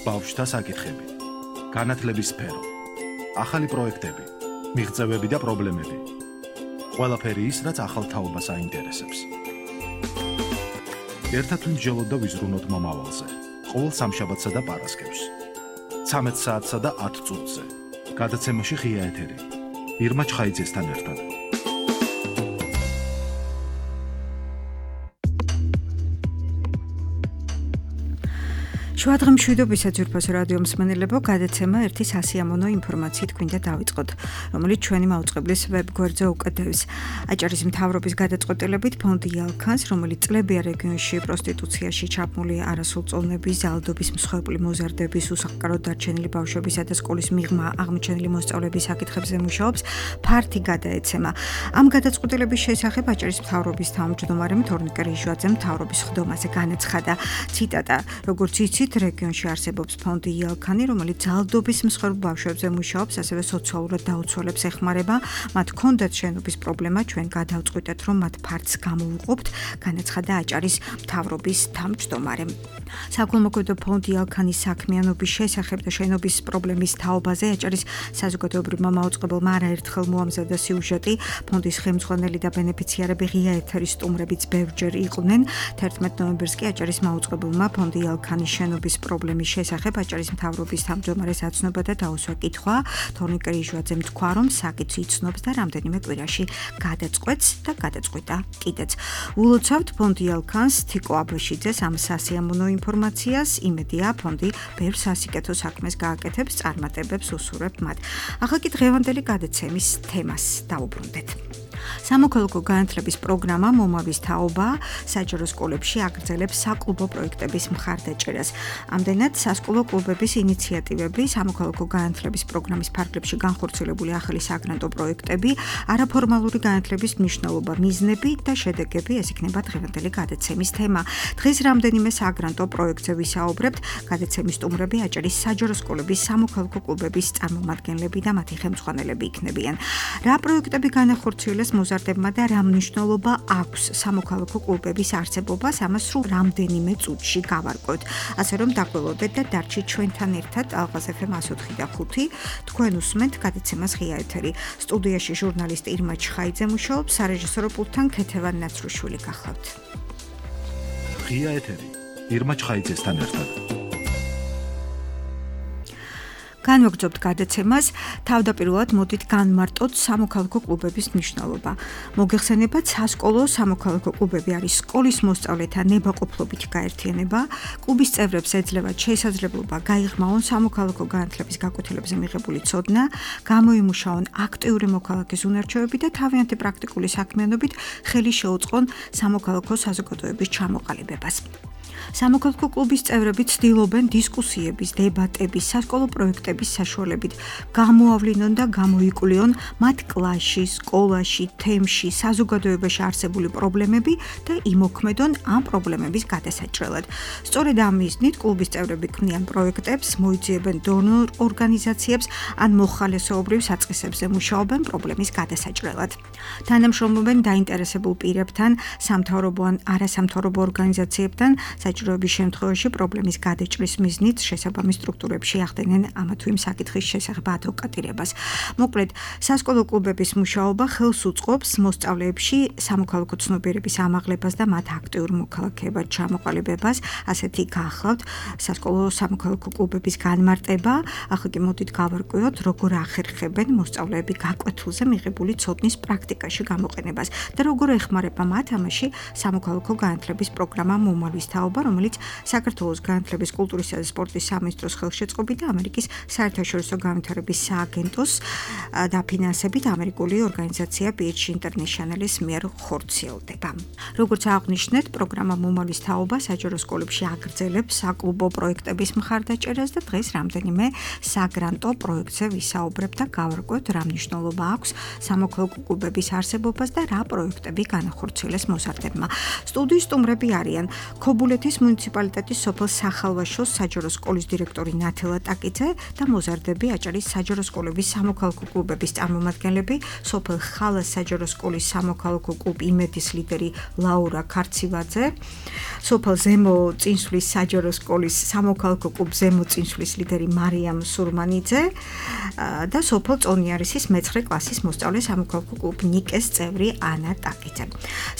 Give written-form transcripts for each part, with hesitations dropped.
ბავშვთა საკითხები, განათლების სფერო, ახალი პროექტები, მიღწევები და პრობლემები. ყველაფერი ის, რაც ახალ თაობას აინტერესებს. ერთად ვიმსჯელოთ და ვიზრუნოთ მომავალზე. ყოველ სამშაბათსა და პარასკევს. 13 საათსა და 10 წუთზე. გადაცემაში ღია ეთერი. ირმა ჩხაიძესთან ერთად. შუადღე მშვიდობისა ძვირფას რადიო მსმენელებო, გადაცემა ერთი სასიამოვნო ინფორმაციით გვინდა დავიწყოთ, რომელიც ჩვენი მაუწყებლის ვებგვერდზე უკადევს. აჭარის მთავრობის გადაწყვეტილებით ფონდი იალქანს, რომელიც წლებია რეგიონში პროსტიტუციაში ჩაბმული არასრულწლოვნების, ზალდობის, მსხვერპლი მოზარდების, უსახლკაროდ დარჩენილი ბავშვებისა და სკოლის მიღმა აღმოჩენილი მოსწავლეების საკითხებზე მუშაობს, ფართი გადაეცემა. ამ გადაწყვეტილების შესახებ აჭარის მთავრობის თავმჯდომარემ თორნიკე რიჟვაძემ მთავრობის ხდომაზე განაცხადა. ციტატა: როგორც იცით, რეგიონში არსებობს ფონდი იალქანი, რომელიც ზალდობის მსხვერპლ ბავშვებზე მუშაობს, ასევე სოციალურად დაუცველებს ეხმარება. მათ ჰქონდათ შენობის პრობლემა, ჩვენ გადავწყვიტეთ, რომ მათ ფართს გამოვუყობთ, განაცხადა აჭარის მთავრობის თავმჯდომარემ. საქველმოქმედო ფონდი იალქანის საქმიანობის შესახებ და შენობის პრობლემის თაობაზე აჭარის საზოგადოებრივმა მაუწყებელმა არაერთხელ მოამზადა სიუჟეტი. ფონდის ხელმძღვანელი და ბენეფიციარები ღია ეთერის სტუმრებიც ბევრჯერ იყვნენ. 11 ნოემბერს კი აჭარის მაუწყებელმა ფონდი იალქანის შენობის პრობლემის შესახებ აჭარის მთავრობის თავმჯდომარეს აცნობა და დაუსვა კითხვა. თორნიკე რიჟვაძემ თქვა, რომ საკითხი იცნობს და რამდენიმე კვირაში გადაწყვეტს და გადაწყვიტა კიდეც. ულოცავთ ფონდი იალქანს, თიკო აბაშიძეს ამ სასიამოვნო ინფორმაციას. იმედია, ფონდი ბევრ სასიკეთო საქმეს გააკეთებს, წარმატებებს უსურვებთ მათ. ახლა კი დღევანდელი გადაცემის თემას დავუბრუნდეთ. სამოქალაქო განათლების პროგრამა მომავის თაობა საჯარო სკოლებში აგრძელებს საკლუბო პროექტების მხარდაჭერას. ამდენად სასკოლო კლუბების ინიციატივები, სამოქალაქო განათლების პროგრამის ფარგლებში განხორციელებული ახალი საგრანტო პროექტები, არაფორმალური განათლების მნიშვნელობა, მიზნები და შედეგები, ეს იქნება დღევანდელი გადაცემის თემა. დღეს რამდენიმე საგრანტო პროექტზე ვისაუბრებთ. გადაცემის სტუმრები აჭარის საჯარო სკოლების სამოქალაქო კლუბების წარმომადგენლები და მათი ხელმძღვანელები იქნებიან. რა პროექტები განახორციელეს მოზარდებმა და რა მნიშვნელობა აქვს სამოქალაქო კლუბების არსებობას, ამას სულ რამდენიმე წუთში გავარკვევთ. ასე რომ დაგველოდეთ და დარჩით ჩვენთან ერთად ალღაზ FM 104.5. თქვენ უსმენთ გადაცემას ღია ეთერი. სტუდიაში ჟურნალისტი ირმა ჩხაიძე მუშაობს, სარეჟისორო პულტთან ქეთევან ნაცრუშვილი გახლავთ. ღია ეთერი. ირმა ჩხაიძესთან ერთად. განვაგრძობთ გადაცემას, თავდაპირველად მოდით განმარტოთ სამოქალაქო კლუბების მნიშვნელობა. მოგეხსენებათ, სასკოლო სამოქალაქო კლუბები არის სკოლის მოსწავლეთა ნებაყოფლობითი გაერთიანება. კლუბის წევრებს ეძლევათ შესაძლებლობა გაიღრმავონ სამოქალაქო განათლების გაკვეთილებზე მიღებული ცოდნა, გამოიმუშაონ აქტიური მოქალაქის უნარჩვევები და თავიანთი პრაქტიკული საქმიანობით ხელი შეუწყონ სამოქალაქო საზოგადოების ჩამოყალიბებას. სამოქალაქო კლუბის წევრები ცდილობენ დისკუსიების, დებატების, სასკოლო პროექტების საშუალებით გამოავლინონ და გამოიკვლიონ მათ კლასში, სკოლაში, თემში, საზოგადოებაში არსებული პრობლემები და იმოქმედონ ამ პრობლემების გადასაჭრელად. სწორედ ამ მიზნით კლუბის წევრები ქმნიან პროექტებს, მოიძიებენ დონორ ორგანიზაციებს ან მოხალისეობრივ საწყისებზე მუშაობენ პრობლემის გადასაჭრელად. თანამშრომლობენ დაინტერესებულ პირებთან, სამთავრობო ან არასამთავრობო ორგანიზაციებთან, საჭიროების შემთხვევაში პრობლემის გადაჭრის მიზნით შესაბამის სტრუქტურებში ახდენენ ამა თუ იმ საკითხის შესახებ ადვოკატირებას. მოკლედ, სასკოლო კლუბების მუშაობა ხელს უწყობს მოსწავლეებში სამოქალაქო ცნობიერების ამაღლებას და მათ აქტიურ მოქალაქეებად ჩამოყალიბებას. ასეთი გახლავთ სასკოლო სამოქალაქო კლუბების განმარტება. ახლა კი მოდით გავარკვიოთ, როგორ ახერხებენ მოსწავლეები გაკვეთილზე მიღებული ცოდნის პრაქტიკაში გამოყენებას და როგორ ეხმარება მათ ამაში სამოქალაქო განათლების პროგრამა მომავის თაობა, რომელიც საქართველოს განათლების, კულტურისა და სპორტის სამინისტროს ხელშეწყობით და ამერიკის საერთაშორისო განვითარების სააგენტოს დაფინანსებით ამერიკული ორგანიზაცია PH International-ის მიერ ხორციელდება. როგორც აღნიშნეთ, პროგრამა მომავის თაობა საჯარო სკოლებში აგრძელებს საკლუბო პროექტების მხარდაჭერას და დღეს რამდენიმე საგრანტო პროექტზე ვისაუბრებთ და გავარკვევთ, რა მნიშვნელობა აქვს სამოქალაქო კლუბების არსებობას და რა პროექტები განახორციელეს მოზარდებმა. სტუდიის სტუმრები არიან ქობულეთ რუსეთის მუნიციპალიტეტის სოფელ სახალვაშოს საჯარო სკოლის დირექტორი ნათელა ტაკიძე და მოზარდები აჭარის საჯარო სკოლების სამოქალაქო კლუბების წარმომადგენლები, სოფელ ხალას საჯარო სკოლის სამოქალაქო კლუბ იმედის ლიდერი ლაურა ქარცივაძე, სოფელ ზემო წინსვლის საჯარო სკოლის სამოქალაქო კლუბ ზემო წინსვლის ლიდერი მარიამ სურმანიძე და სოფელ წონიარისის მე-9 კლასის მოსწავლე სამოქალაქო კლუბ ნიკეს წევრი ანა ტაკიძე.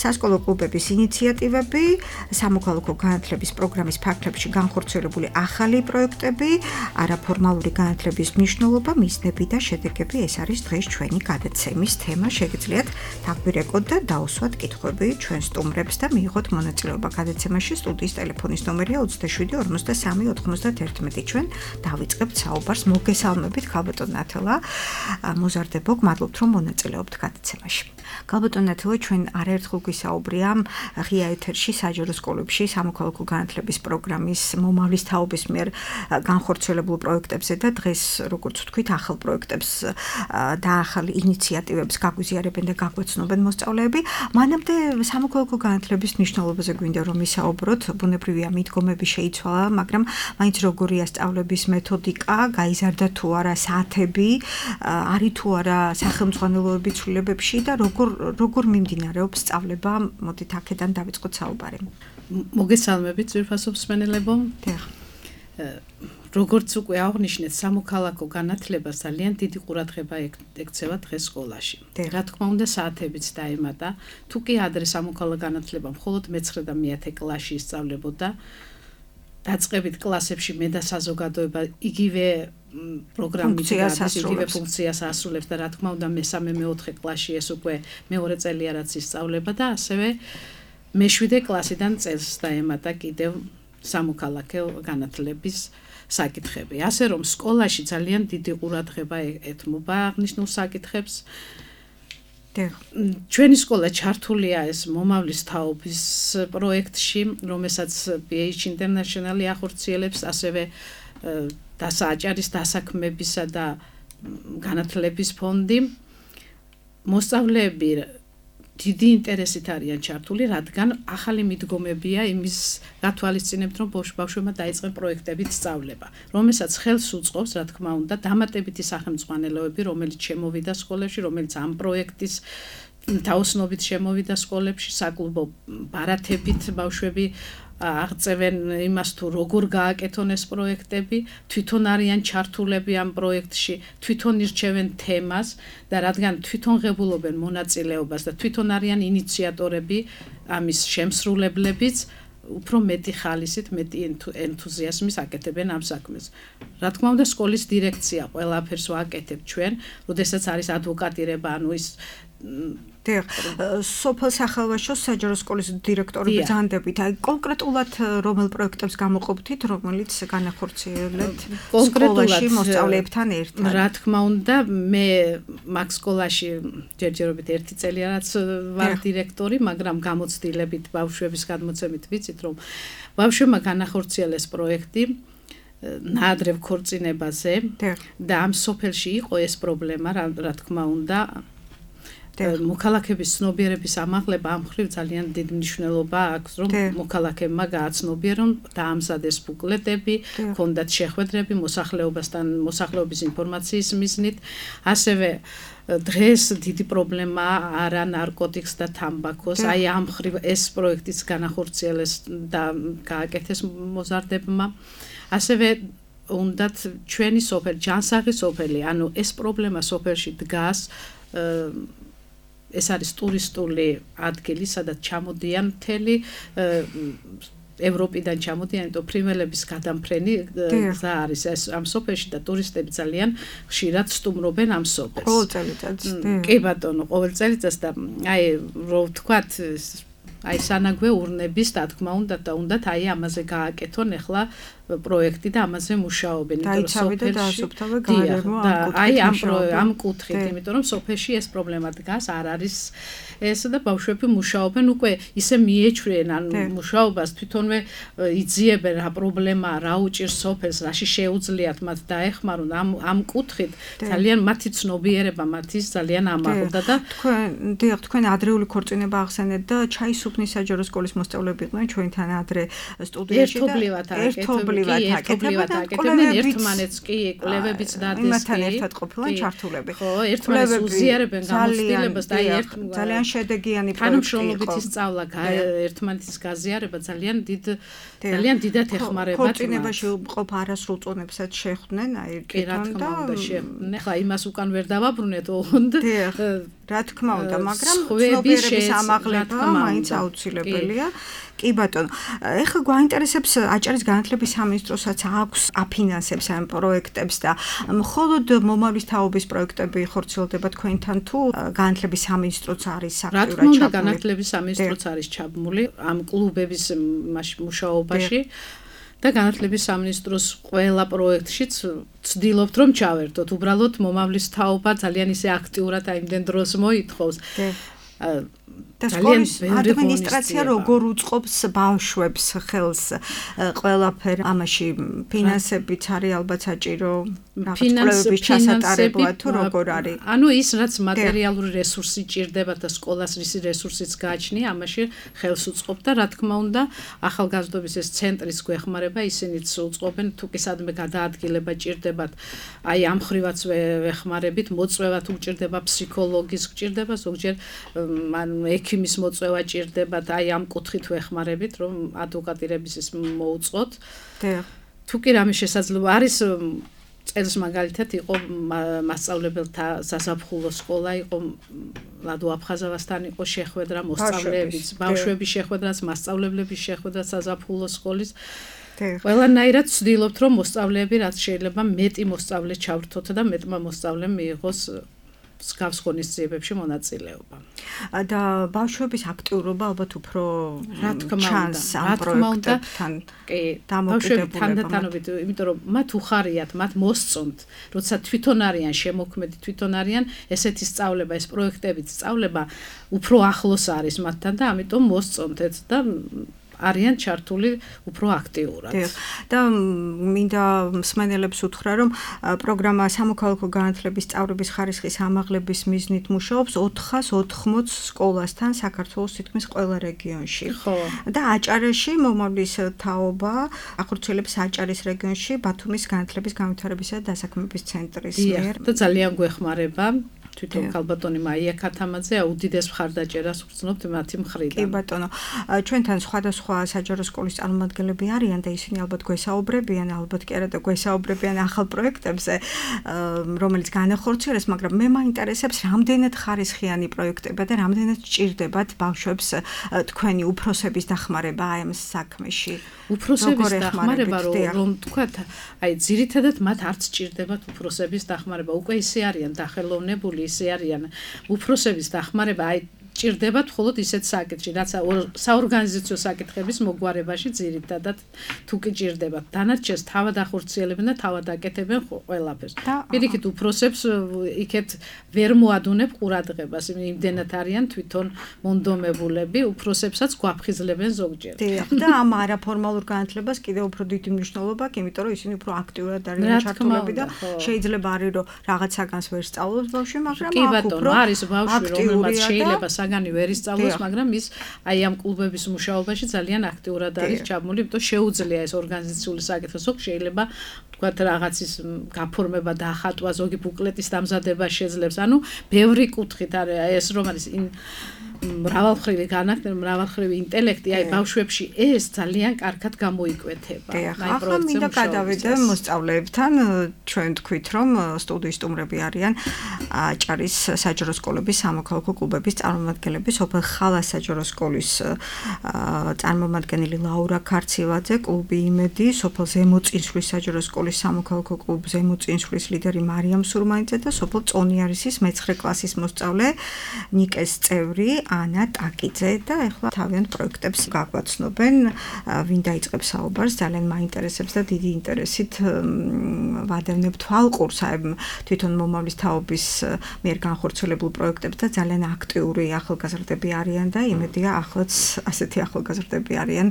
სასკოლო კლუბების ინიციატივები, სამოქალაქო განათლების პროგრამის ფარგლებში განხორციელებული ახალი პროექტები, არაფორმალური განათლების მნიშვნელობა, მიზნები და შედეგები, ეს არის დღეს ჩვენი გადაცემის თემა. შეგიძლიათ დაგვირეკოთ და დაუსვათ კითხვები ჩვენ სტუმრებს და მიიღოთ მონაწილეობა გადაცემაში. სტუდიის ტელეფონის ნომერია 27 53 91. ჩვენ დავიწყებთ საუბარს. მოგესალმებით, ქალბატონ ნათელა. მოზარდებო, გმადლობთ, რომ მონაწილეობთ გადაცემაში. ქალბატონ ნათელა, ჩვენ არაერთხელ გვისაუბრია ღია ეთერში საჯარო სკოლებში სამოქალაქო განათლების პროგრამის მომავლის თაობის მიერ განხორციელებულ პროექტებზე და დღეს, როგორც ვთქვით, ახალ პროექტებს და ახალ ინიციატივებს გაგვიზიარებენ და გაგვეცნობენ მოსწავლეები. მანამდე სამოქალაქო განათლების მნიშვნელობაზე გვინდა რომ ვისაუბროთ. ბუნებრივია, მიდგომები შეიცვალა, მაგრამ მაინც როგორია სწავლების მეთოდიკა, გაიზარდა თუ არა საათები, არის თუ არა სახელმძღვანელოების ცვლილებებში და როგორ მიმდინარეობს სწავლება. მოდით აქედან დავიწყოთ საუბარი. მოგესალმებით, ძვირფასო მსმენელებო. როგორც უკვე აღნიშნეთ, სამოქალაქო განათლებას ძალიან დიდი ყურადღება ექცევა დღეს სკოლაში. რა თქმა უნდა, საათებიც დაემატა. თუ კი ადრე სამოქალაქო განათლება მხოლოდ მე-9 და მე-10 კლასში ისწავლებოდა, დაწყებით კლასებში მე და საზოგადოება იგივე პროგრამით იგივე ფუნქციას ასრულებს და რა თქმა უნდა მე-3 მე-4 კლასში ეს უკვე მეორე წელია რაც ისწავლება და ასევე მე-7 კლასიდან წელს დაემატა კიდევ სამოქალაქო განათლების საკითხები. ასე რომ სკოლაში ძალიან დიდი ყურადღება ეთმობა აღნიშნულ საკითხებს. ჩვენი სკოლა ჩართულია ეს მომავლის თაობის პროექტში, რომელსაც PH International-ი ახორციელებს, ასევე აჭარის დასაქმებისა და განათლების ფონდი. მოსწავლეები დიდი ინტერესით არიან ჩართული, რადგან ახალი მიდგომებია იმის გათვალისწინებთ, რომ ბავშვებმა დაიწყեն პროექტებით სწავლება, რომელსაც ხელს უწყობს, რა თქმა უნდა, დამატებითი სახელმძღვანელოები, რომელიც შემოვიდა სკოლებში, რომელიც ამ პროექტის თაოსნობით შემოვიდა სკოლებში, საკლუბო ბარათებით ბავშვები აღწევენ იმას თუ როგორ გააკეთონ ეს პროექტები, თვითონ არიან ჩართულები ამ პროექტში, თვითონ ირჩევენ თემას და რადგან თვითონ ღებულობენ მონაწილეობას და თვითონ არიან ინიციატორები ამის შემსრულებლებიც, უფრო მეტი ხალისით, მეტი ენთუზიაზმის აკეთებენ ამ საქმეს. რა თქმა უნდა, სკოლის დირექცია ყველაფერს ვაკეთებ ჩვენ, როდესაც არის ადვოკატირება, ანუ ის სოფელ სახალვაშოს საჯარო სკოლის დირექტორი ბრძანდებით, აი კონკრეტულად რომელ პროექტებს გამოყოფთით, რომელიც განახორციელებთ სკოლაში მოსწავლეებთან ერთად? რა თქმა უნდა, მე მაგ სკოლაში ჯერჯერობით 1 წელია რაც ვარ დირექტორი, მაგრამ გამოცდილებით ბავშვების გადმოცემით ვიცით, რომ ბავშვებმა განახორციელეს პროექტი ნაადრევ ქორწინებაზე და ამ სოფელში იყო ეს პრობლემა, რა თქმა უნდა, მოქალაქეების ცნობიერების ამაღლება ამ მხრივ ძალიან დიდ მნიშვნელობა აქვს, რომ მოქალაქეებმა გააცნობიერონ და ამზადეს ბუკლეტები, ჰქონდათ შეხვედრები მოსახლეობის ინფორმაციის მიზნით, ასევე დღეს დიდი პრობლემაა არა ნარკოტიკს და თამბაქოს, აი ამ მხრივ ეს პროექტიც განახორციელეს და გააკეთეს მოზარდებმა. ასევე უნდათ ჩვენი სოფელი, ჯანსაღი სოფელი, ანუ ეს პრობლემა სოფელში დგას, ეს არის ტურისტული ადგილი, სადაც ჩამოდიან მთელი ევროპიდან ჩამოდიან, იმიტომ ფრინველების გადამფრენი გზა არის ეს ამ სოფელში და ტურისტები ძალიან ხშირად სტუმრობენ ამ სოფელს. ყოველ წელიწადს. კი ბატონო, ყოველ წელიწადს და აი რო ვთქვათ, აი სანაგვე ურნების, რა თქმა უნდა და უნდათ აი ამაზე გააკეთონ ახლა პროექტი და ამაზე მუშაობენ, იმიტომ რომ სოფელში აი ამ კუთხით, იმიტომ რომ სოფელში ეს პრობლემა დგას, არ არის ეს და ბავშვები მუშაობენ უკვე ისე მიეჩვენ ან მუშაობას თვითონვე იძიებენ რა პრობლემაა, რა უჭირს სოფელს, რაში შეუძლიათ მათ დაეხმარონ ამ კუთხით ძალიან მათი ცნობიერება მათის ძალიან ამაღლდა და თქვენ ადრეული ქორწინება ახსენეთ და ჩაის ხელისუფლების საჯარო სკოლის მოსწავლეები იყვნენ ჩვენთან ადრე სტუდიაში და ერთობლივად აკეთებდნენ ერთმანეთს კი კვლევებიც დადეს იმათთან ერთად ყოფილან ჩართულები. ხო, ერთმანეთს უზიარებენ გამოცდილებას და ძალიან შედეგიანი პროექტი იყო. სწავლა ერთმანეთის გაზიარება ძალიან დიდად ეხმარება. ქორწინებაში მყოფ არასრულ წონებსაც შეხვდნენ, აი თვითონ და შეხვდნენ. ხა იმას უკან ვერ დავაბრუნეთ ოღონდ. რა თქმა უნდა, მაგრამ ცნობიერების ამაღლება მაინც აუცილებელია. კი ბატონო, ეხლა გვაინტერესებს აჭარის განათლების სამინისტროსაც აქვს აფინანსებს ამ პროექტებს და მხოლოდ მომავლის თაობის პროექტები ხორციელდება თქვენთან თუ განათლების სამინისტროც არის აქტიურად ჩაბმული? რა თქმა უნდა, განათლების სამინისტროც არის ჩაბმული ამ კლუბების მუშაობაში. და განათლების სამინისტროს ყველა პროექტშიც ვცდილობთ რომ ჩავერთოთ. უბრალოდ მომავლის თაობა ძალიან ისე აქტიურად აიმდენ დროს მოითხოვს. და სკოლის ადმინისტრაცია როგორ უწყობს ბავშვებს ხელს ყველაფერ ამაში ფინანსებიც არის ალბათ საჭირო კვლევების ჩასატარებლად თუ როგორ არის? ანუ ის რაც მატერიალური რესურსი ჭირდება და სკოლას რის რესურსიც გააჩნია, ამაში ხელს უწყობს და რა თქმა უნდა, ახალგაზრდობის ეს ცენტრის გვეხმარება, ისინიც უწყობენ თუ კი სადმე გადაადგილება ჭირდებათ, აი ამ ხრივაც ვეხმარებით, მოწვევა თუ ჭირდება, ფსიქოლოგის ჭირდება, ზოგჯერ ექიმის მოწვევა ჭირდებათ, აი ამ კუთხით ვეხმარებით, რომ ადვოკატირების ის მოუწყოთ. თუ კი რამე შესაძლოა არის წელს მაგალითად იყო მასწავლებელთა საზაფხულო სკოლა, იყო ლადო აფხაზავასთან იყო შეხვედრა მოსწავლეების, ბავშვების შეხვედრაც, მასწავლებლების შეხვედრა საზაფხულო სკოლის. ყველანაირად ვცდილობთ, რომ მოსწავლეები რაც შეიძლება მეტი მოსწავლე ჩავრთოთ და მეტმა მოსწავლემ მიიღოს სკავს ღონისძიებებში მონაწილეობა. და ბავშვების აქტიურობა ალბათ უფრო ჩანს ამ პროექტებთან დამოკიდებულება. თანდათანობით, იმიტომ რომ მათ უხარიათ, მათ მოსწონთ, როცა თვითონ არიან შემოქმედი, თვითონ არიან ესეთი სწავლება, ეს პროექტებიც სწავლება უფრო ახლოს არის მათთან და ამიტომ მოსწონთ და არიან ჩართული უფრო აქტიურად. და მინდა მსმენელებს უთხრა, რომ პროგრამა სამოქალაქო განათლების სწავლების ხარისხის ამაღლების მიზნით მუშაობს 480 სკოლასთან საქართველოს თითქმის ყველა რეგიონში. და აჭარაში მომავლის თაობა ახორციელებს აჭარის რეგიონში ბათუმის განათლების განვითარებისა და დასაქმების ცენტრის მიერ. და ძალიან გვეხმარება. თვითონ ქალბატონი მაია ქათამაძე უდიდეს მხარდაჭერას ვგრძნობთ მათი მხრიდან. კი ბატონო, ჩვენთან სხვადასხვა საჯარო სკოლის წარმომადგენლები არიან და ისინი ალბათ გვესაუბრებიან, ალბათ კი არა და გვესაუბრებიან ახალ პროექტებზე, რომელიც განახორციელეს, მაგრამ მე მაინტერესებს, რამდენად ხარისხიანი პროექტებია და რამდენად ჭირდებათ ბავშვებს თქვენი უფროსების დახმარება ამ საქმეში. უფროსების დახმარება რომ თქვათ, აი ძირითადად მათ არც ჭირდებათ უფროსების დახმარება, უკვე ისე არიან დახელოვნებული, ისე არიან უფროსების დახმარება, აი ჭირდებათ მხოლოდ ისეთ საკითხში, რაც საორგანიზაციო საკითხების მოგვარებაში ძირითადად თუ კი ჭირდებათ. დანარჩენს თავად ახორციელებენ და თავად აკეთებენ ყველაფერს. პირიქით უფროსებს იქეთ ვერ მოადუნებ ყურადღებას, იმდენად არიან თვითონ მონდომებულები, უფროსებსაც გვაფხიზლებენ ზოგჯერ. და ამ არაფორმალურ განათლებას კიდევ უფრო დიდი მნიშვნელობა აქვს, იმიტომ რომ ისინი უფრო აქტიურად არიან ჩართულები და შეიძლება არის რომ რაღაც საგანს ვერ სწავლობს ბავშვი, მაგრამ აქ უფრო არის ბავშვი, რომელმაც შეიძლება საგანი ვერ ისწავლოს, მაგრამ ის აი ამ კლუბების მუშაობაში ძალიან აქტიურად არის ჩაბმული, იმიტომ შეუძლია ეს ორგანიზაციული საკითხი, ზოგ შეიძლება თქვათ რაღაცის გაფორმება და ახატვა, ზოგი ბუკლეტის დამზადება შეძლებს. ანუ ბევრი კუთხით არის ეს რომ არის მრავალმხრივი განათლება, მრავალმხრივი ინტელექტი, აი ბავშვებში ეს ძალიან კარგად გამოიკვეთება. ახლა მინდა გადავიდე მოსწავლეებთან, ჩვენ თქვით რომ სტუდიის სტუმრები არიან აჭარის საჯარო სკოლების სამოქალაქო კლუბების წარმომადგენლები, სოფელ ხალას საჯარო სკოლის წარმომადგენელი ლაურა ქარცილაძე, კლუბი იმედი, სოფელ ზემოწინსვლის საჯარო სკოლის სამოქალაქო კლუბ ზემოწინსვლის ლიდერი მარიამ სურმანიძე და სოფელ წონიარისის მე-9 კლასის მოსწავლე ნიკეს წევრი ანა ტაკიძე და ეხლა თავიანთ პროექტებს გაგვაცნობენ, ვინ დაიწყებს საუბარს, ძალიან მაინტერესებს და დიდი ინტერესით ვადევნებ თვალყურს თვითონ მომავლის თაობის მიერ განხორციელებულ პროექტებს და ძალიან აქტიური ახალგაზრდები არიან და იმედია ახლაც ასეთი ახალგაზრდები არიან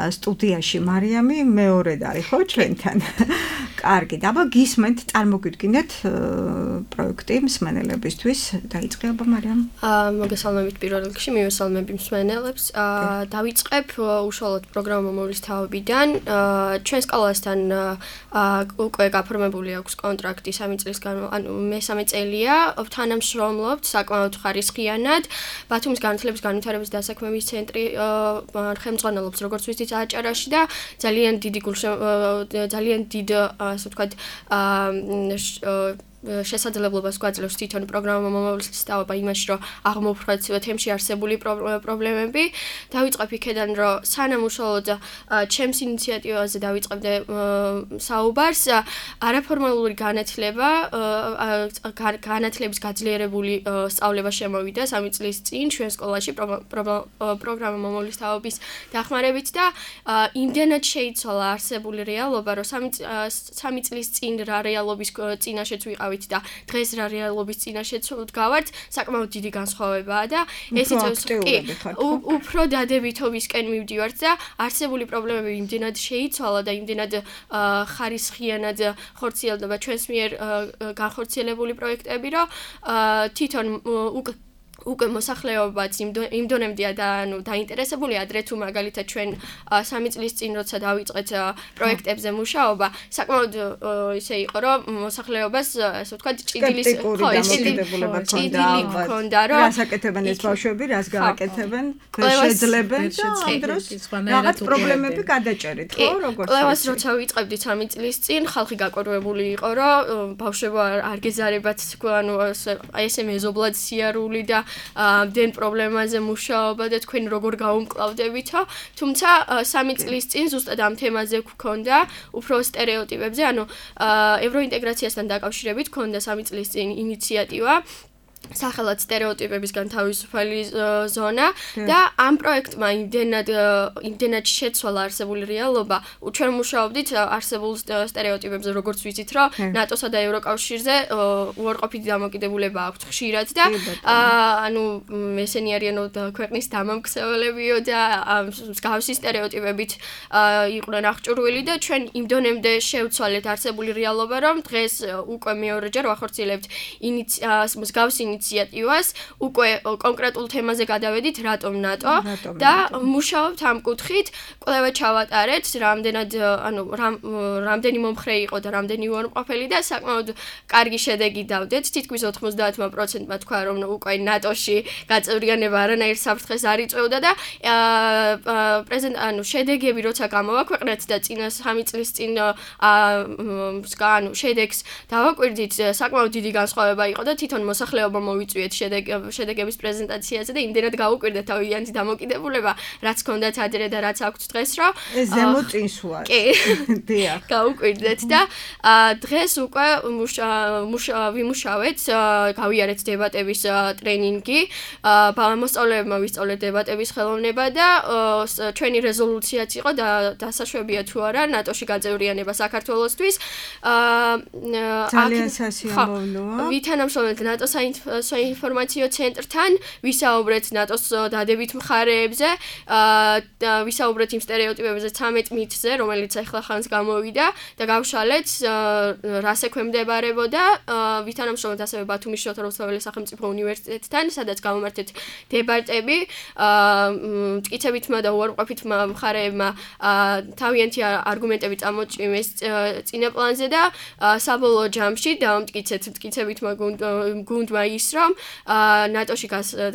სტუდიაში. მარიამი მეორედ არის ხო ჩვენთან? კარგი, აბა გისმენთ, წარმოგიდგინეთ პროექტი მსმენელებისთვის. დაიწყე აბა მარიამ. მოგესალმებით პირველ რიგში, მივესალმები მსმენელებს. დავიწყებ უშუალოდ პროგრამა მომავლის თაობიდან. ჩვენ სკოლასთან უკვე გაფორმებული აქვს კონტრაქტი 3 წლის ანუ მესამე წელია. თანამშრომლობთ საკმაოდ ხარისხიანად. ბათუმის განათლების განვითარების დასაქმების ცენტრი ხელმძღვანელობს როგორც ვიცით აჭარაში და ძალიან დიდ ასე ვთქვათ შესაძლებლობას გვაძლევს თვითონ პროგრამა მომავლის სწავლება იმაში, რომ აღმოფხვრათ თემში არსებული პრობლემები. დავიწყებ იქედან, რომ სანამ უშუალოდ ჩემს ინიციატივაზე დავიწყებდე საუბარს, არაფორმალური განათლების გაძლიერებული სწავლება შემოვიდა 3 წლის წინ ჩვენ სკოლაში პროგრამა მომავლის თაობის დახმარებით და იმდენად შეიცვალა არსებული რეალობა, რომ 3 წლის წინ რა რეალობის წინაშეც ვიყავით და დღეს რა რეალობის წინაშეც ვდგავართ, საკმაოდ დიდი განსხვავებაა და ეს უფრო დადებითობისკენ მივდივართ და არსებული პრობლემები იმდენად შეიცვალა და იმდენად ხარისხიანად ხორციელდება ჩვენს მიერ განხორციელებული პროექტები, რომ თვითონ უკვე მოსახლეობაც იმ დონემდეა და ანუ დაინტერესებული ადრე თუ მაგალითად ჩვენ 3 წლის წინ როცა დავიწყეთ პროექტებზე მუშაობა, საკმაოდ ისე იყო, რომ მოსახლეობას ასე ვთქვათ ჭიდილის დამოკიდებულება ჰქონდა, რომ რას აკეთებენ ეს ბავშვები, რას გააკეთებენ, შეძლებენ და ამ დროს რაღაც პრობლემები გადაჭერით, ხო, როგორც ყველას როცა ვიწყებდით 3 წლის წინ, ხალხი გაკვირვებული იყო, რომ ბავშვებო არ გეზარებათ, ანუ ესე მეზობლად სიარული და ამდენ პრობლემაზე მუშაობა და თქვენ როგორ გაუმკლავდებითო, თუმცა 3 წლის წინ ზუსტად ამ თემაზე გქონდა უფრო სტერეოტიპებზე, ანუ ევროინტეგრაციასთან დაკავშირებით გქონდა 3 წლის წინ ინიციატივა სახელად სტერეოტიპებისგან თავისუფალი ზონა და ამ პროექტმა იმდენად შეცვალა არსებული რეალობა, ჩვენ მუშაობდით არსებულ სტერეოტიპებზე, როგორც ვიცით, რომ ნატოსა და ევროკავშირზე უარყოფითი დამოკიდებულება აქვს ხშირად და ანუ ესენი არიან ქვეყნის დამამქცეველებიო და მსგავსი სტერეოტიპებით იყვნენ აღჭურვილი და ჩვენ იმ დონემდე შევცვალეთ არსებული რეალობა, რომ დღეს უკვე მეორეჯერ ვახორციელებთ მსგავს ინიციატივას, უკვე კონკრეტულ თემაზე გადავედით, რატომ ნატო და მუშაობთ ამ კუთხით, კვლევა ჩავატარეთ, რამდენი მომხრე იყო და რამდენი უარყოფელი და საკმაოდ კარგი შედეგი დავდეთ, თითქმის 90%-მა თქვა, რომ უკვე ნატოში გაწევრიანება არანაირ საფრთხეს არ იწვევდა და შედეგები როცა გამოვაქვეყნეთ და წინა 3 წლის წინ შედეგს დავაკვირდით, საკმაოდ დიდი განსხვავება იყო და თვითონ მოსახლეობა მოვიწვიეთ შედეგების პრეზენტაციაზე და იმდენად გაუკვირდეთ თავიანთი დამოკიდებულება, რაც ჰქონდათ ადრე და რაც აქვთ დღეს, რომ ეს ზემო წინსვლა. კი, დიახ. გაუკვირდეთ და დღეს უკვე ვიმუშავეთ, გავიარეთ დებატების ტრენინგი, მოსწავლეებმა ვისწავლეთ დებატების ხელოვნება და ჩვენი რეზოლუციაც იყო და დასაშვებია თუ არა ნატოში გაწევრიანება საქართველოსთვის. ძალიან სასიამოვნოა. ვითანამშრომლეთ ნატოს საინფორმაციო ცენტრთან, ვისაუბრეთ ნატოს დადებით მხარეებზე, ვისაუბრეთ იმ სტერეოტიპებზე 13 მითზე, რომელიც ახლა ხანს გამოვიდა და გავშალეთ რას ექვემდებარებოდა, ვითანამშრომლეთ ასევე ბათუმის შოთა რუსთაველის სახელმწიფო უნივერსიტეტთან, სადაც გამომართეთ დებატები, მტკიცებითმა და უარყოფითმა მხარეებმა თავიანთი არგუმენტები წამოწვიეს წინაპლანზე და საბოლოო ჯამში დავამტკიცეთ მტკიცებითმა გუნდმა ის, რომ ნატოში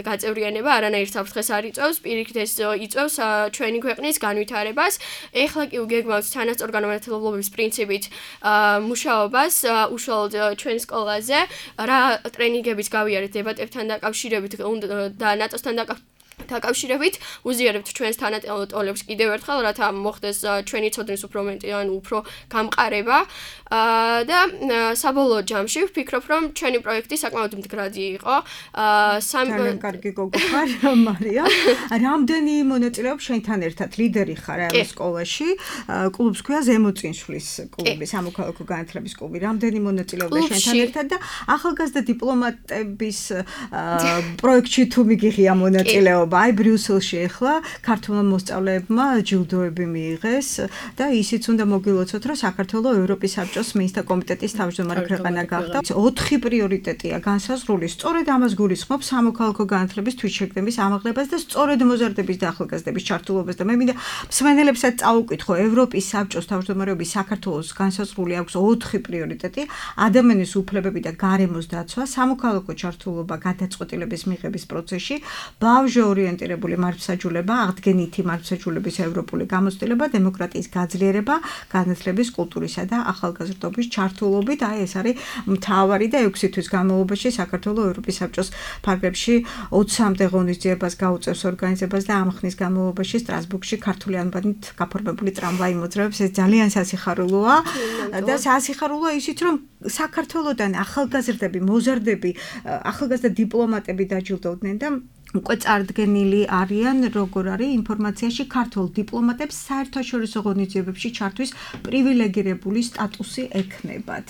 გაწევრიანება არანაირ საფრთხეს არ იწვევს, პირიქით ეს იწვევს ჩვენი ქვეყნის განვითარებას. ეხლა კი უგეგმავთ თანასწორგანმანათლებლობის პრინციპით მუშაობას უშუალოდ ჩვენ სკოლაზე, რა ტრენინგებიც გავიარეთ დებატებთან დაკავშირებით და ნატოსთან დაკავშირებით, უზიარებთ ჩვენს თანატოლებს კიდევ ერთხელ, რათა მოხდეს ჩვენი ცოდნის უფრო მეტი, ანუ უფრო გამყარება და საბოლოო ჯამში ვფიქრობ, რომ ჩვენი პროექტი საკმაოდ მდგრადი იყო. ძალიან კარგი გოგო ხარ, მარია. რამდენი მონაწილეობს შენთან ერთად? ლიდერი ხარ ამ სკოლაში. კლუბს ქვია ზემო წინსვლის კლუბი, სამოქალაქო განათლების კლუბი. რამდენი მონაწილეობდა შენთან ერთად და ახალგაზრდა დიპლომატების პროექტში თუ მიგიღია მონაწილეობა? აი ბრიუსელში ახლა ქართულმა მოსწავლეებმა ჯილდოები მიიღეს და ისიც უნდა მოგილოცოთ, რომ საქართველოს ევროპის საბჭოს მინისტრთა კომიტეტის თავმჯდომარე ქვეყანა გახდა. 4 პრიორიტეტია განსაზღვრული, სწორედ ამას გულისხმობს სამოქალაქო განათლების თვითშეგნების ამაღლებას და სწორედ მოზარდების და ახალგაზრდების ჩართულობას და მე მინდა მსმენელებსაც წაუკითხო, ევროპის საბჭოს თავმჯდომარეობის საქართველოს განსაზღვრული აქვს 4 პრიორიტეტი: ადამიანის უფლებები და გარემოს დაცვა, სამოქალაქო ჩართულობა გადაწყვეტილების მიღების პროცესში, ბავშვი ორიენტირებული მართლმსაჯულება, აღდგენითი მართლმსაჯულების ევროპული გამოცდილება, დემოკრატიის გაძლიერება, განათლების, კულტურისა და ახალგაზრდობის ჩართულობით. აი ეს არის მთავარი და 6 თვის განმავლობაში საქართველოს ევროპის საბჭოს ფარგლებში 23-მდე ღონისძიებას გაუწევს ორგანიზებას და ამ ხნის განმავლობაში სტრასბურგში ქართული ანბანით გაფორმებული ტრამვაი მოძრაობს. ეს ძალიან სასიხარულოა და სასიხარულოა ისიც, რომ საქართველოსდან ახალგაზრდები, მოზარდები, ახალგაზრდა დიპლომატები დაჯილდოვდნენ და უკვე წარდგენილი არიან, როგორ არის ინფორმაციაში ქართულ დიპლომატებს საერთაშორისო ღონისძიებებში ჩართვის პრივილეგირებული სტატუსი ექნებათ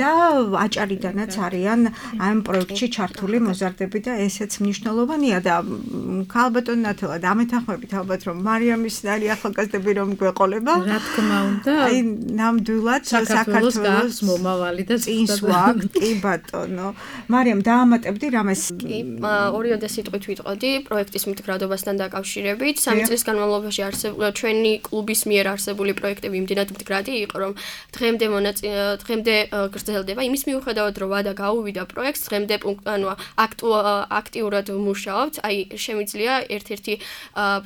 და აჭარიდანაც არიან ამ პროექტში ჩართული მოზარდები და ესეც მნიშვნელოვანია და ქალბატონ ნათელა დამეთანხმებით ალბათ რომ მარიამის ნარი ახალგაზრდები რომ გვეყოლება, რა თქმა უნდა, აი ნამდვილად საქართველოს გახს მომავალი და წინსვლა, კი ბატონო. მარიამ დაამატებდი რამეს? კი, ორიოდე სიტყვით ვიტყოდი პროექტის მდგრადობასთან დაკავშირებით. 3 წლის განმავლობაში ჩვენი კლუბის მიერ არსებული პროექტები იმდენად მდგრადი იყო, რომ დღემდე გრძელდება. იმის მიუხედავად, რომ ვადა გაუვიდა პროექტს, დღემდე აქტიურად მუშაობთ. აი, შემიძლია ერთ-ერთი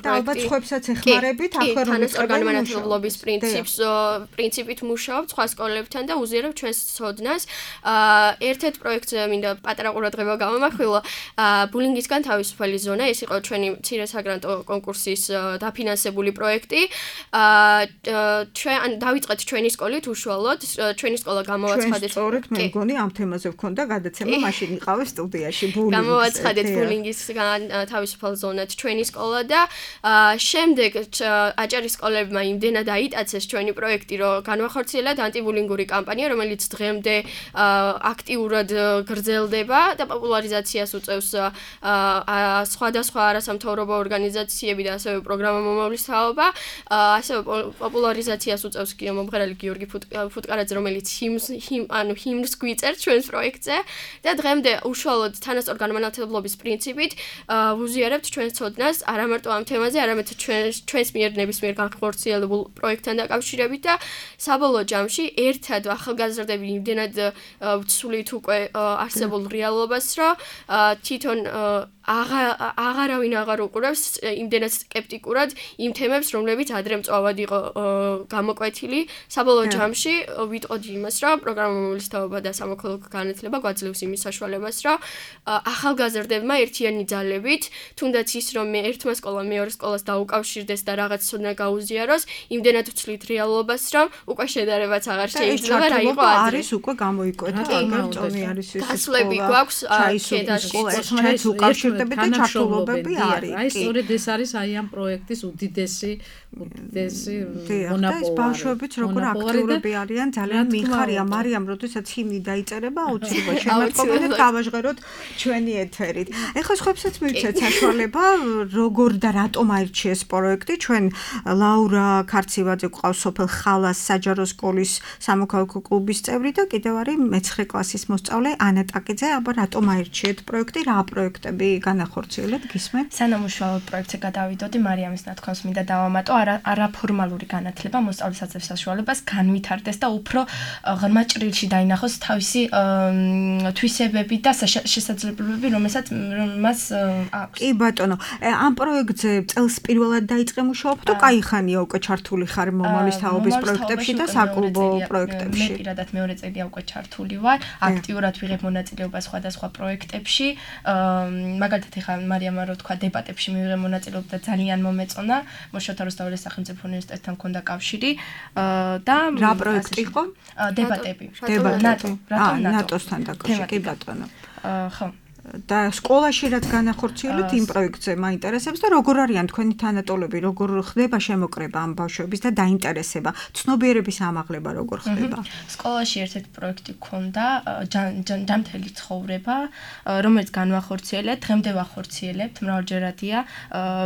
პროექტი. ალბათ სხვებსაც ეხმარებით, ახლა რომ განმანათლებლობის პრინციპით მუშაობთ სხვა სკოლებთან და უზიარებთ ჩვენს ცოდნას. ერთ-ერთ პროექტზე მინდა პატარა ყურადღება გამომახვილო. ბულინგისგან თავისუფალი ზონა, ეს იყო ჩვენი მცირე საგრანტო კონკურსის დაფინანსებული პროექტი. ჩვენ დავიწყეთ ჩვენი სკოლით უშუალოდ, ჩვენი სკოლა გამოვაცხადეთ. სწორედ მე მგონი ამ თემაზე ვქონდა გადაცემა, მაშინ იყავე სტუდიაში ბულინგის. გამოვაცხადეთ ბულინგისგან თავისუფალ ზონად ჩვენი სკოლა და შემდეგ აჭარის სკოლებმა იმდენად აიტაცეს ჩვენი პროექტი, რომ განვახორციელეთ ანტიბულინგური კამპანია, რომელიც დღემდე აქტიურად გრძელდება და პოპულარიზაციას უწევს სხვადასხვა არასამთავრობო ორგანიზაციები და ასევე პროგრამა მომავლის თაობა, ასევე პოპულარიზაციას უწევს მომღერალი გიორგი ფუტკარაძე, რომელიც ჰიმნს გვიწერს ჩვენს პროექტზე და დღემდე უშუალოდ თანასწორ განმანათლებლობის პრინციპით ვუზიარებთ ჩვენს ცოდნას არა მარტო ამ თემაზე, არამედ ჩვენს მიერ ნებისმიერ განხორციელებულ პროექტთან დაკავშირებით და საბოლოო ჯამში ერთად ახალგაზრდები იმდენად ვცვლით უკვე არსებულ რეალობას, რომ თვითონ აღარავინ აღარ უყურებს იმდენად სკეპტიკურად იმ თემებს, რომლებიც ადრე მწვავად იყო გამოკვეთილი. საბოლოო ჯამში ვიტყოდი იმას, რომ პროგრამა მომავლის თაობა და სამოქალაქო განათლება გვაძლევს იმის საშუალებას, რომ ახალგაზრდებმა ერთიანი ძალებით, თუნდაც ის რომ ერთმა სკოლამ მეორე სკოლას დაუკავშირდეს და რაღაც ცოდნა გაუზიაროს, იმდენად ვცვლით რეალობას, რომ უკვე შედარებაც აღარ შეიძლება რა იყო ადრე. არის უკვე გამოიკვეთა, აგერ წონი არის ეს. გასვლები გვაქვს ჩაისუბის ერთმანეთს უკავშირდება და ჩართულობები არის. აი სწორედ ეს არის აი ამ პროექტის უდიდესი მონაპოვარი. ეს ბავშვებიც როგორ აქტიურები არიან, ძალიან მიხარია. მარიამ, როდესაც ჰიმნი დაიწერება, აუცილებლად შემატყობინეთ გავაჟღეროთ ჩვენი ეთერით. ეხლა სხვებსაც მივცეთ საშუალება, როგორ და რატომ აირჩიეს პროექტი. ჩვენ ლაურა ქარცივაძე გვყავს სოფელ ხალას საჯარო სკოლის სამოქალაქო კლუბის წევრი და კიდევ არის მე-9 კლასის მოსწავლე ანა ტაკიძე. აბა რატომ აირჩიეთ პროექტი? რა პროექტები განახორციელეთ, გისმენთ? სანამ უშუალოდ პროექტზე გადავიდოდი, მარიამის ნათქვამს მინდა დავამატო, არაფორმალური განათლება მოსწავლის აწევს საშუალებას განვითარდეს და უფრო ღრმა ჭრილში დაინახოს თავისი თვისებები და შესაძლებლობები, რომელსაც მას აქვს. კი ბატონო, ამ პროექტზე წელს პირველად დაიწყე მუშაობა თუ კაი ხანია უკვე ჩართული ხარ მომავლის თაობის პროექტებში და საკლუბო პროექტებში? მე პირადად მეორე წელია უკვე ჩართული ვარ, აქტიურად ვიღებ მონაწილეობას სხვადასხვა პროექტებში. მაგალითად ეხლა მარიამმა რო თქვა დებატებში მივიღე მონაწილეობა და ძალიან მომეწონა. მოშოთა რუსთაველის სახელმწიფო უნივერსიტეტთან მქონდა კავშირი და რა პროექტი იყო? დებატები. დებატები. ნატოსთან დაკავშირებით, კი ბატონო. ხო. და სკოლაში რაც განახორციელოთ იმ პროექტზე მაინტერესებს და როგორ არიან თქვენი თანატოლები, როგორ ხდება შემოკრება ამ ბავშვების და დაინტერესება, ცნობიერების ამაღლება როგორ ხდება? სკოლაში ერთ-ერთი პროექტი გქონდა, ჯანმრთელი ცხოვრება, რომელიც განვახორციელეთ, დღემდე ვახორციელებთ, მრავალჯერადია.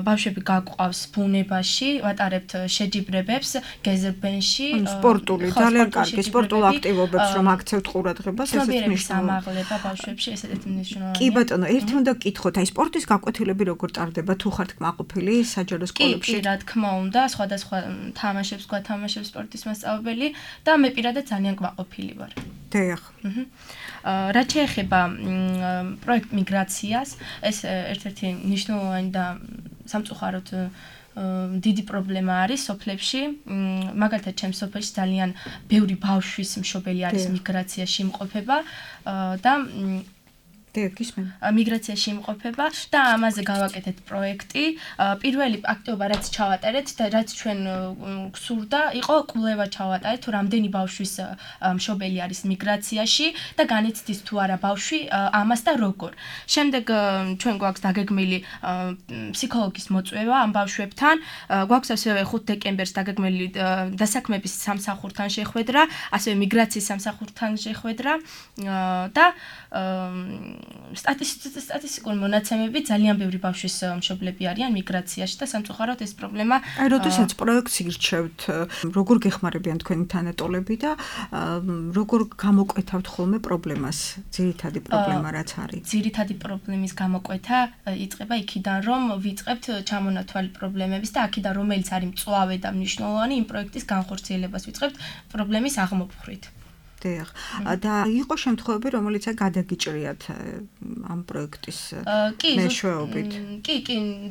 ბავშვები გაგვყავს ბუნებაში, ვატარებთ შეჯიბრებებს გეზერბენში, სპორტული, ძალიან კარგი სპორტულ აქტივობებს რომ აქცევთ ყურადღებას, ესეც მნიშვნელოვანია. ამაღლება ბავშვებში, ესეც მნიშვნელოვანია. კი ბატონო, ერთი უნდა გკითხოთ, აი სპორტის გაკვეთილები როგორ ტარდება, თუ ხართ კმაყოფილი საჯარო სკოლებში? კი, რა თქმა უნდა, სხვადასხვა თამაშებს გვათამაშებს სპორტის მასწავლებელი და მე პირადად ძალიან კმაყოფილი ვარ. დიახ. რაც შეეხება პროექტ მიგრაციას, ეს ერთ-ერთი მნიშვნელოვანი და სამწუხაროდ დიდი პრობლემა არის სოფლებში. მაგალითად, ჩემს სოფელში ძალიან ბევრი ბავშვის მშობელი არის მიგრაციაში იმყოფება და მიგრაციაში იმყოფება და ამაზე გავაკეთეთ პროექტი. პირველი აქტივობა რაც ჩავატარეთ და რაც ჩვენ გსურდა, იყო კვლევა ჩავატარეთ, თუ რამდენი ბავშვის მშობელი არის მიგრაციაში და განიცდის თუ არა ბავშვი ამას და როგორ. შემდეგ ჩვენ გვაქვს დაგეგმილი ფსიქოლოგის მოწვევა ამ ბავშვებთან. გვაქვს ასევე 5 დეკემბერს დაგეგმილი დასაქმების სამსახურთან შეხვედრა, ასევე მიგრაციის სამსახურთან შეხვედრა და სტატისტიკურ მონაცემები ძალიან ბევრი ბავშვის მშობლები არიან მიგრაციაში და სამწუხაროდ ეს პრობლემა. აი, როდესაც პროექტს ირჩევთ, როგორ გეხმარებიან თქვენი თანატოლები და როგორ გამოკვეთავთ ხოლმე პრობლემას, ძირითადი პრობლემა რაც არის? ძირითადი პრობლემის გამოკვეთა იწყება იქიდან, რომ ვიწყებთ ჩამონათვალი პრობლემების და აქედან რომელიც არის მწვავე და მნიშვნელოვანი იმ პროექტის განხორციელებას ვიწყებთ პრობლემის აღმოფხვრით. დიახ. და იყო შემთხვევები, რომელიც გადაგიჭრიათ ამ პროექტის მეშვეობით. კი,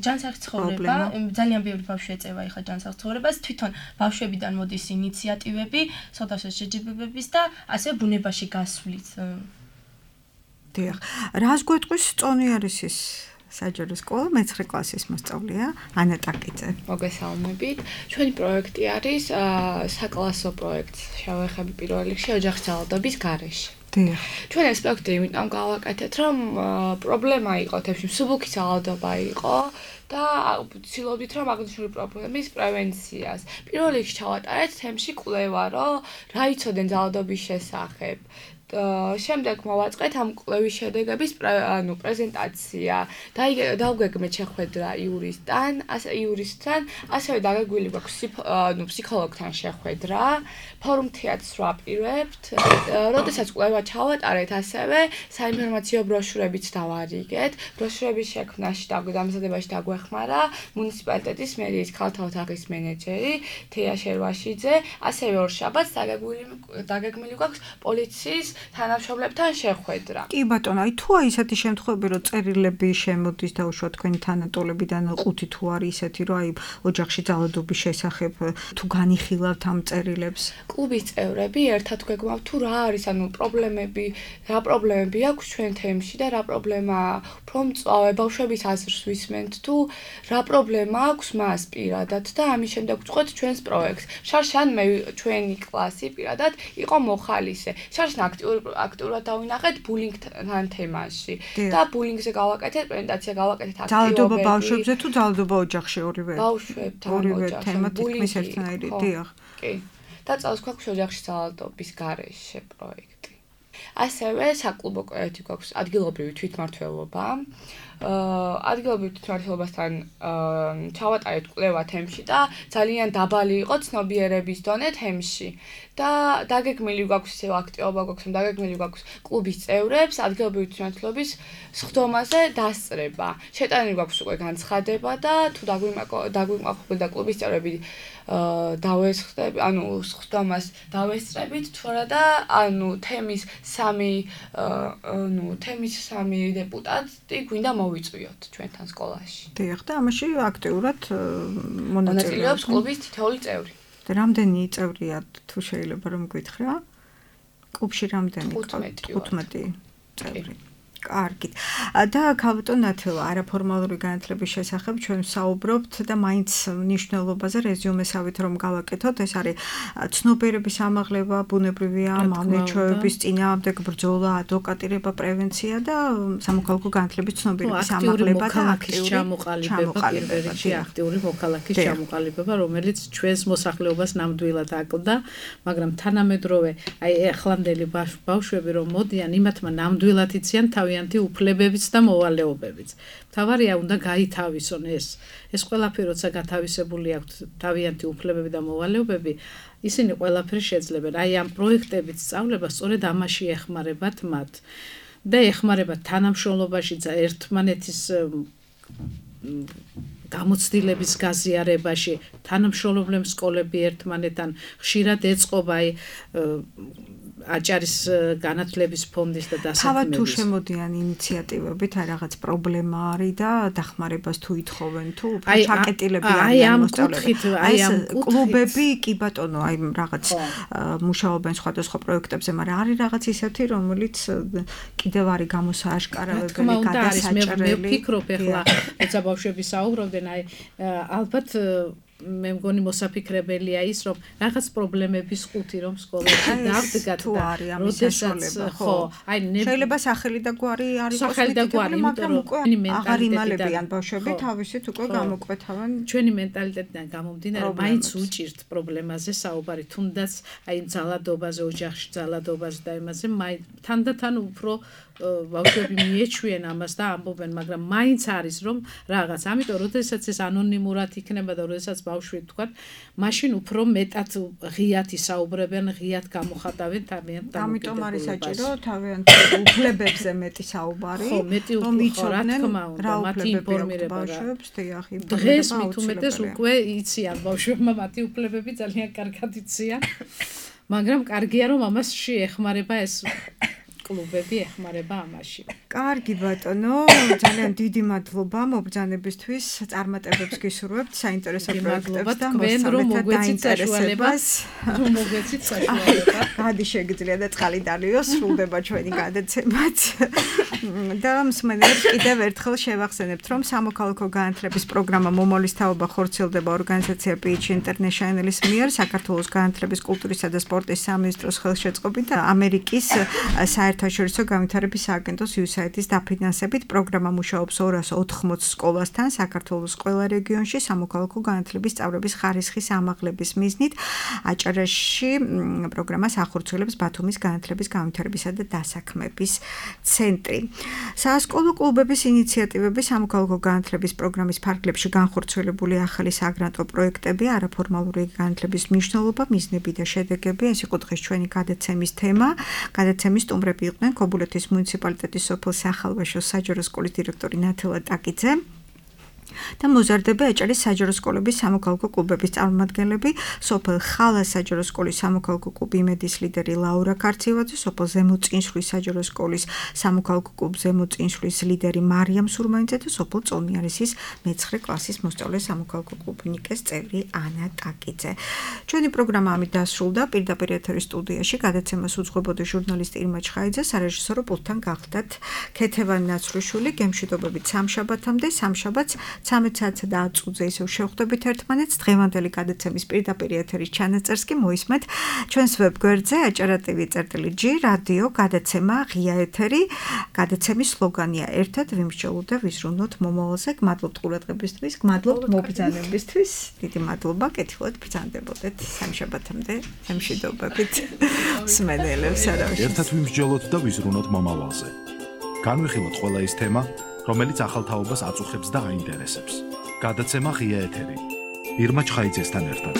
ჯანსაღი ცხოვრება, ძალიან ბევრი ბავშვი ეწევა ახლა ჯანსაღ ცხოვრებას, თვითონ ბავშვებიდან მოდის ინიციატივები, სხვადასხვა შეჯიბრებების და ასევე ბუნებაში გასვლით. დიახ. რას გვეტყვის წონიარისის საჯარო სკოლა მე-9 კლასის მოსწავლეა ანა ტაკიძე. მოგესალმებით. ჩვენი პროექტი არის საკლასო პროექტი. შევეხები პირველ რიგში ოჯახის ძალადობის გარეშე. დიახ. ჩვენ ეს პროექტი იმიტომ გავაკეთეთ, რომ პრობლემა იყო თემში, მსუბუქი ძალადობა იყო და ვცდილობდით რომ აღნიშნული პრობლემის პრევენციას. პირველ რიგში ჩავატარეთ თემში კვლევა, რომ რა იცოდნენ ძალადობის შესახებ. შემდეგ მოვაწყეთ ამ კვლევის შედეგების პრეზენტაცია. დავგეგმეთ შეხვედრა იურისტთან, ასევე დაგეგმილი გვაქვს ფსიქოლოგთან შეხვედრა. ფორუმ თეატრს ვაპირებთ. როდესაც კვლევა ჩავატარეთ, ასევე საინფორმაციო ბროშურებიც დავარიგეთ. ბროშურების შექმნაში და დამზადებაში დაგვეხმარა მუნიციპალიტეტის მერიის ქალთა ოთახის მენეჯერი თეა შერვაშიძე, ასევე ორშაბათს დაგეგმილი გვაქვს პოლიციის თანამშრომლებთან შეხვედრა. კი ბატონო, აი თუ ისეთი შემთხვევები რომ წერილები შემოდის და უშუალოდ თქვენი თანატოლებიდან 5 თუ არის ისეთი რომ აი ოჯახში ძალადობის შესახებ თუ განიხილავთ ამ წერილებს. კლუბის წევრები ერთად გვეგმავთ თუ რა არის რა პრობლემები აქვს ჩვენ თემში და რა პრობლემაა უფრო მწვავე ბავშვების აზრს ვისმენთ თუ რა პრობლემა აქვს მას პირადად და ამის შემდეგ ვწყვეთ ჩვენს პროექტს. შარშან მე ჩვენი კლასი პირადად იყო მოხალისე. შარშან აქტიურად დავინახეთ ბულინგთან თემაში და ბულინგზე გავაკეთეთ პრეზენტაცია, გავაკეთეთ აქტივობები. ძალადობა ბავშვებზე თუ ძალადობა ოჯახში ორივე? ბავშვებთან ოჯახში. თემა თითქმის ერთნაირი, დიახ. კი. და წელს გვაქვს ოჯახში ძალადობის გარეშე პროექტი. ასევე საკლუბო პროექტი გვაქვს ადგილობრივი თვითმმართველობა. ადგილობრივ თვითმმართველობასთან ჩავატარეთ კვლევა თემში და ძალიან დაბალი იყო ცნობიერების დონე თემში. და დაგეგმილი გვაქვს ისევ აქტივობა გვაქვს, რომ დაგეგმილი გვაქვს კლუბის წევრებს ადგილობრივი თვითმმართველობის სხდომაზე დასწრება. შეტანილი გვაქვს უკვე განცხადება და თუ დაგვიმყოფებოდა და კლუბის წევრები დავესხდები, სხდომას დავესწრებით, თუ არა და თემის სამი დეპუტატი გვინდა მოვიწვიოთ ჩვენთან სკოლაში. დიახ, და ამაში აქტიურად მონაწილეობს კლუბის თითოეული წევრი. რამდენი წევრია თუ შეიძლება რომ გითხრა? კლუბში რამდენი? 15 15 წევრი. კარგით. და ქალბატონ ნათელა, არაფორმალური განათლების შესახებ ჩვენ ვსაუბრობთ და მაინც მნიშვნელობაზე რეზიუმესავით რომ გავაკეთოთ, ეს არის ცნობიერების ამაღლება, ბუნებრივია, მავნეჩვეების წინააღმდეგ ბრძოლა, ადვოკატირება, პრევენცია და სამოქალაქო განათლების ცნობიერების ამაღლება და აქტიური ჩამოყალიბება, აქტიური მოქალაქის ჩამოყალიბება, რომელიც ჩვენს მოსახლეობას ნამდვილად აკლდა, მაგრამ თანამედროვე აი ახლანდელი ბავშვები რომ მოდიან, იმათმა ნამდვილად იციან თავიანთი უფლებებიც და მოვალეობებიც. თავარია უნდა გაითავისონ ეს ყველაფერი როცა გათავისებული აქვთ თავიანთი უფლებები და მოვალეობები, ისინი ყველაფერი შეძლებენ. აი ამ პროექტებით სწავლება სწორედ ამაში ეხმარებათ მათ და ეხმარებათ თანამშრომლობაში და ერთმანეთის გამოცდილების გაზიარებაში, თანამშრომლობენ სკოლები ერთმანეთთან, ხშირად ეწყობა აჭარის განათლების ფონდის და დასაქმების. თავად თუ შემოდიან ინიციატივებით, აი რაღაც პრობლემა არის და დახმარებას თუ ითხოვენ, თუ უფრო ჩაკეტილები არიან მოსწავლეები. აი ამ კლუბები კი ბატონო, აი რაღაც მუშაობენ სხვადასხვა პროექტებზე, მაგრამ არის რაღაც ისეთი, რომელიც კიდევ არის გამოსააშკარავებელი, გადასაჭრელი. მე ვფიქრობ ახლა, როცა ბავშვები საუბრობდნენ, აი ალბათ მე მგონი მოსაფიქრებელია ის, რომ რაღაც პრობლემების ყუთი რომ სკოლაში დავდგათ და როდესაც ხო, აი შეიძლება სახელი და გვარი არის მოსწავლებელი, მაგრამ უკვე აღარ იმალებიან ბავშვები თავისით უკვე გამოკვეთავენ. ჩვენი მენტალიტეტიდან გამომდინარე, მაინც უჭირთ პრობლემაზე საუბარი, თუნდაც აი ძალადობაზე, ოჯახში ძალადობაზე და იმაზე, თანდათან უფრო ბავშვები მიეჩვიან ამას და ამბობენ, მაგრამ მაინც არის რომ რაღაც. ამიტომ როდესაც ეს ანონიმურად იქნება და როდესაც ბავშვი თქვათ, მაშინ უფრო მეტად ღიად ისაუბრებენ, ღიად გამოხატავენ თავიანთ დამოკიდებულებას. ამიტომ არის საჭირო თავიანთ უფლებებზე მეტი საუბარი, რომ იცოდნენ რა მათი ინფორმირება ბავშვებს, დიახ, დღეს მით უმეტეს უკვე იციან ბავშვებმა მათი უფლებები ძალიან კარგად იციან, მაგრამ კარგია რომ ამაში ეხმარება ეს კლუბები ეხმარება ამაში. კარგი ბატონო, ძალიან დიდი მადლობა მობრძანებისთვის, წარმატებებს გისურვებთ საინტერესო პროექტებს და მოსწავლეთა დაინტერესებას. რომ მოგვეცით საშუალება. გადი შეგიძლია და წყალი დალიოს, სრულდება ჩვენი გადაცემაც. და მსმენელებს კიდევ ერთხელ შევახსენებთ, რომ სამოქალაქო განათლების პროგრამა მომავლის თაობა ხორციელდება ორგანიზაცია Pitch International-ის მიერ, საქართველოს განათლების, კულტურისა და სპორტის სამინისტროს ხელშეწყობით და ამერიკის საერთაშორისო განვითარების სააგენტოს USAID-ის დაფინანსებით. პროგრამა მუშაობს 280 სკოლასთან საქართველოს ყველა რეგიონში სამოქალაქო განათლების სწავლების ხარისხის ამაღლების მიზნით. აჭარაში პროგრამას ახორციელებს ბათუმის განათლების განვითარებისა და დასაქმების ცენტრი. საასკოლო კლუბების ინიციატივები, სამოქალაქო განათლების პროგრამის ფარგლებში განხორციელებული ახალი საგრანტო პროექტები, არაფორმალური განათლების მნიშვნელობა, მიზნები და შედეგები, ეს იყო დღეს ჩვენი გადაცემის თემა. გადაცემის სტუმრები იყვნენ ქობულეთის მუნიციპალიტეტის სოფელ სახალვაშოს საჯარო სკოლის დირექტორი ნათელა ტაკიძე და მოზარდები აჭარის საჯარო სკოლების სამოქალაქო კლუბების წარმომადგენლები, სოფელ ხალას საჯარო სკოლის სამოქალაქო კლუბი იმედის ლიდერი ლაურა ქარცევაძე, სოფელ ზემოწინსვლის საჯარო სკოლის სამოქალაქო კლუბ ზემოწინსვლის ლიდერი მარიამ სურმანიძე და სოფელ წონიარისის მე-9 კლასის მოსწავლე სამოქალაქო კლუბ ნიკეს წევრი ანა ტაკიძე. ჩვენი პროგრამა ამით დასრულდა. პირდაპირ ეთერის სტუდიაში გადაცემას უძღვებოდა ჟურნალისტი ირმა ჩხაიძე, სარეჟისორო პულტთან გახლდათ ქეთევან ნაცრუშვილი. გემშვიდობებით სამშაბათამდე, სამშაბათს 13 საათსა და 10 წუთზე ისევ შევხვდებით ერთმანეთს. დღევანდელი გადაცემის პირდაპირ ეთერის ჩანაწერს კი მოისმენთ ჩვენს ვებგვერდზე acara.tv/g რადიო გადაცემა ღია ეთერი. გადაცემის სლოგანია ერთად ვიმსჯელოთ და ვიზრუნოთ მომავალზე. გმადლობთ ყურადღებისთვის, გმადლობთ მობრძანებისთვის. დიდი მადლობა, კეთილად ბრძანდებოდეთ სამშაბათამდე. გემშვიდობებით მსმენელებს არავის. ერთად ვიმსჯელოთ და ვიზრუნოთ მომავალზე. განვიხილოთ ყველა ის თემა, რომელიც ახალ თაობას აწუხებს და აინტერესებს. გადაცემა ღია ეთერი. ირმა ჩხაიძესთან ერთად.